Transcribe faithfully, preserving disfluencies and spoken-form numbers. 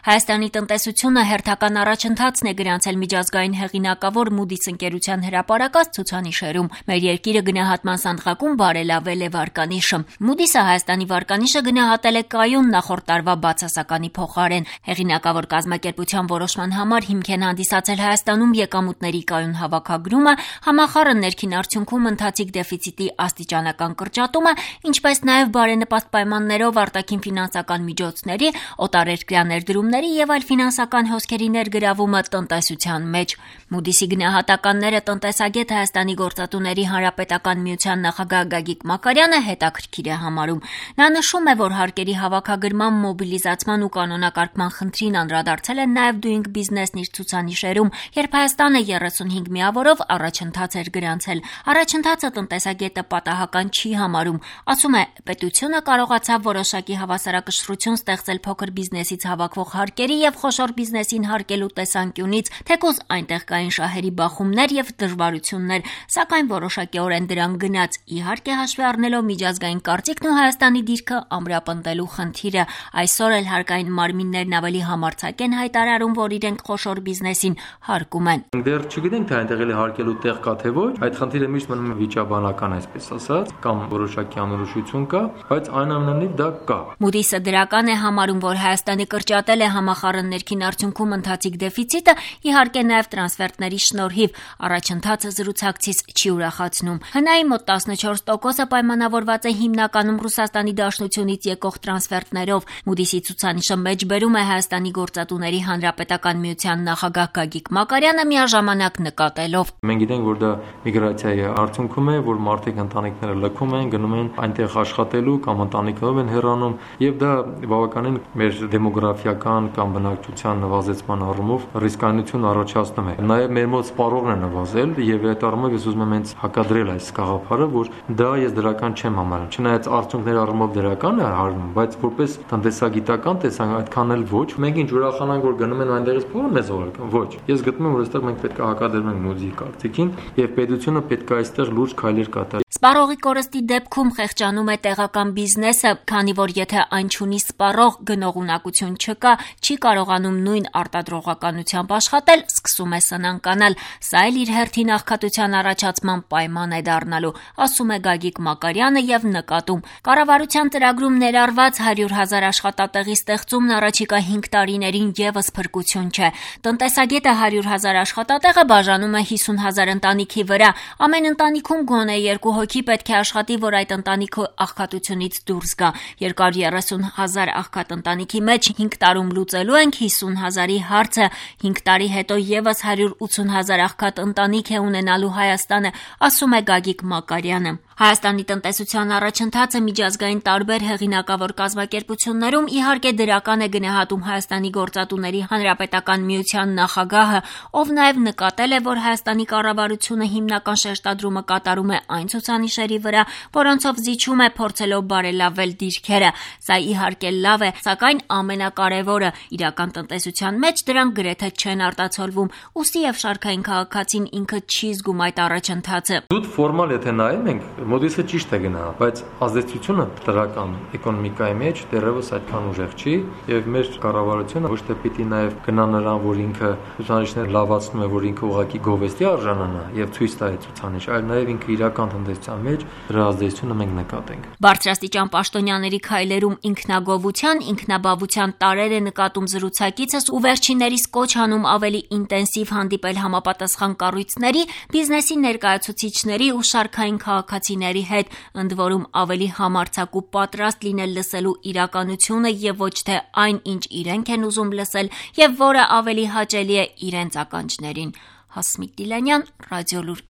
Հայաստանի տնտեսությունը հերթական առաջընթացն է գրանցել միջազգային հեղինակավոր Moody's ընկերության հրապարակած ցուցանիշերում։ Մեր երկիրը գնահատման սանդղակում բարելավել է վարկանիշը։ Moody's-ը Հայաստանի վարկանիշը գնահատել է կայուն նախորդ տարվա բացասականի փոխարեն։ Հեղինակավոր կազմակերպության որոշման համար հիմք են հանդիսացել Հայաստանում եկամուտների կայուն հավաքագրումը, համախառն ներքին արդյունքում ընթացիկ դեֆիցիտի աստիճանական կրճատումը, ինչպես նաև բարենպաստ պայմաններով արտաքին ֆինանսական միջոցների, օտարերկրյա ներդրումների եւ այլ ֆինանսական հոսքերի ներգրավումը տնտեսության մեջ։ Moody's-ի գնահատականները տնտեսագետ Հայաստանի գործատուների հանրապետական միության նախագահ Գագիկ Մակարյանը հետաքրքիր է համարում։ Նա նշում է, որ հարկերի հավաքագրման, մոբիլիզացման ու կանոնակարգման խնդրին անդրադարձել են նաև Doing Business-ն իր ցուցանիշերում, երբ Հայաստանը երեսունհինգ միավորով առաջընթաց էր գրանցել։ Առաջընթացը տնտեսագետը պատահական չի համարում։ Ասում է, պետությունը կարողացավ որոշակի հավասարակշռություն ստեղծել փոքր բիզնեսից հավաքվող հարկերի եւ խոշոր բիզնեսին հարկելու տեսանկյունից, թեկուզ այնտեղ կային շահերի բախումներ եւ դժվարություններ, սակայն որոշակիորեն դրան գնաց, իհարկե հաշվի առնելով միջազգային կարծիքն ու Հայաստանի դիրքը ամրապնդելու խնդիրը։ Այսօր էլ հարկային մարմիններն ավելի համարձակ են հայտարարում, որ իրենք խոշոր բիզնեսին հարկում են։ Դեռ չգիտենք, թե այնտեղ էլի հարկելու տեղ կա թե ոչ, այդ խնդիրը միշտ մնում է վիճաբանական, այսպես ասած, կամ որոշակի անորոշություն կա, բայց այնուամենայնիվ դա կա։ Moody's-ը դրական է համարում, որ Հայաստանը կրճատել է համախառն ներքին արդյունքում ընթացիկ դեֆիցիտը, իհարկե նաև տրանսֆերտների շնորհիվ, առաջընթացը զրուցակցից չի ուրախացնում։ Հնայի մոտ տասնչորս տոկոսը պայմանավորված է հիմնականում Ռուսաստանի Դաշնությունից եկող տրանսֆերտներով։ Moody's-ի ցուցանիշը մեջբերում է Հայաստանի գործատուների հանրապետական միության նախագահ Գագիկ Մակարյանը միաժամանակ նկատելով. Մենք գիտենք, որ դա միգրացիայի արդյունքում է, որ մարդիկ ընտանիքները լքում են, գնում են այնտեղ աշխատելու կամ ընտանիքով են հեռանում, եւ դա բավականին մեր դեմոգրաֆիական կամ բնակչության նվազեցման առումով ռիսկայնություն առաջացնում է։ Նաեւ մեր մոտ սպառողն է նվազել եւ այդ առումով ես ուզում եմ հենց հակադրել այս գաղափարը, որ դա ես դրական չեմ համարում։ Չնայած արդյունքների առումով դրական է հարվում, բայց որպես տնտեսագիտական տեսանյութ այդքան էլ ոչ։ Մենք ինչ ուրախանանք, որ գնում են այնտեղից փողը մեզ ուղարկում։ Ոչ։ Ես գտնում եմ, որ այստեղ մենք պետք է հակադրենք Moody's-ի կարծիքին եւ պետությունը պետք է այստեղ լուրջ քայլեր կատարի։ Սպառողի կորստի դեպքում խեղճանում է տեղական բիզնեսը, քանի որ եթե այն չունի սպառող, գնողունակություն չկա, չի կարողանում նույն արտադրողականությամբ աշխատել, սկսում է սնանկանալ։ Սա էլ իր հերթին աղքատության առաջացման պայման է դառնալու, ասում է Գագիկ Մակարյանը եւ նկատում. Կառավարության ծրագրում ներառված հարյուր հազար աշխատատեղի ստեղծումն առաջիկա հինգ տարիներին եւս փրկություն չէ։ Տնտեսագետը հարյուր հազար աշխատատեղը բաժանում է հիսուն հազար ընտանիքի վրա։ Ամեն ընտանիքում գոնե երկու հոգի պետք է աշխատի, որ այդ ընտանիքը աղքատությունից դուրս գա։ երկար երեսուն հազար աղքատ ընտանիքի մեջ հինգ տարում լուծելու ենք հիսուն հազարի հարցը, հինգ տարի հետո եւս հարյուր ութսուն հազար աղքատ ընտանիք է ունենալու Հայաստանը, ասում է Գագիկ Մակարյանը։ Հայաստանի տնտեսության առաջընթացը միջազգային տարբեր հեղինակավոր կազմակերպություններում իհարկե դրական է գնահատում Հայաստանի գործատուների հանրապետական միության նախագահը, ով նաև նկատել է, որ Հայաստանի կառավարությունը հիմնական շեշտադրումը կատարում է այն ցուցանիշերի վրա, որոնցով զիջում է փորձելով բարելավել դիրքերը։ Սա իհարկե լավ է, սակայն ամենակարևորը իրական տնտեսության մեջ դրանք գրեթե չեն արտացոլվում, ուստի եւ շարքային քաղաքացին ինքը չի զգում այդ առաջընթացը։ Դուք ֆորմալ եթե նայում ենք, Moody's-ը ճիշտ է գնահատում, բայց ազդեցությունը դրական էկոնոմիկայի մեջ դեռևս այդքան ուժեղ չի, եւ մեր կառավարությունը ոչ թե պիտի նաեւ գնա նրան, որ ինքը ցուցանիշներ լավացնում է, որ ինքը ուղղակի գովեստի արժանանա եւ ցույց տա այդ ցուցանիշ, այլ նաեւ ինքը իրական տնտեսության մեջ դրա ազդեցությունը մենք նկատենք։ Բարձրաստիճան պաշտոնյաների քայլերում ինքնագովության, ինքնաբավության տարեր է նկատում զրուցակիցս ու վերջիններիս կոչ անում ավելի ինտենսիվ հանդիպել համապատասխան կառույցների, բիզնեսի ներկայացուցիչների ու շարքային քաղաքացիների հետ, ընդ որում ավելի համարձակ ու պատրաստ լինել լսելու իրականությունը եւ ոչ թե այն, ինչ իրենք են ուզում լսել եւ որը ավելի հաճելի է իրենց ականջներին։ Հասմիկ Դիլանյան, Ռադիոլուր։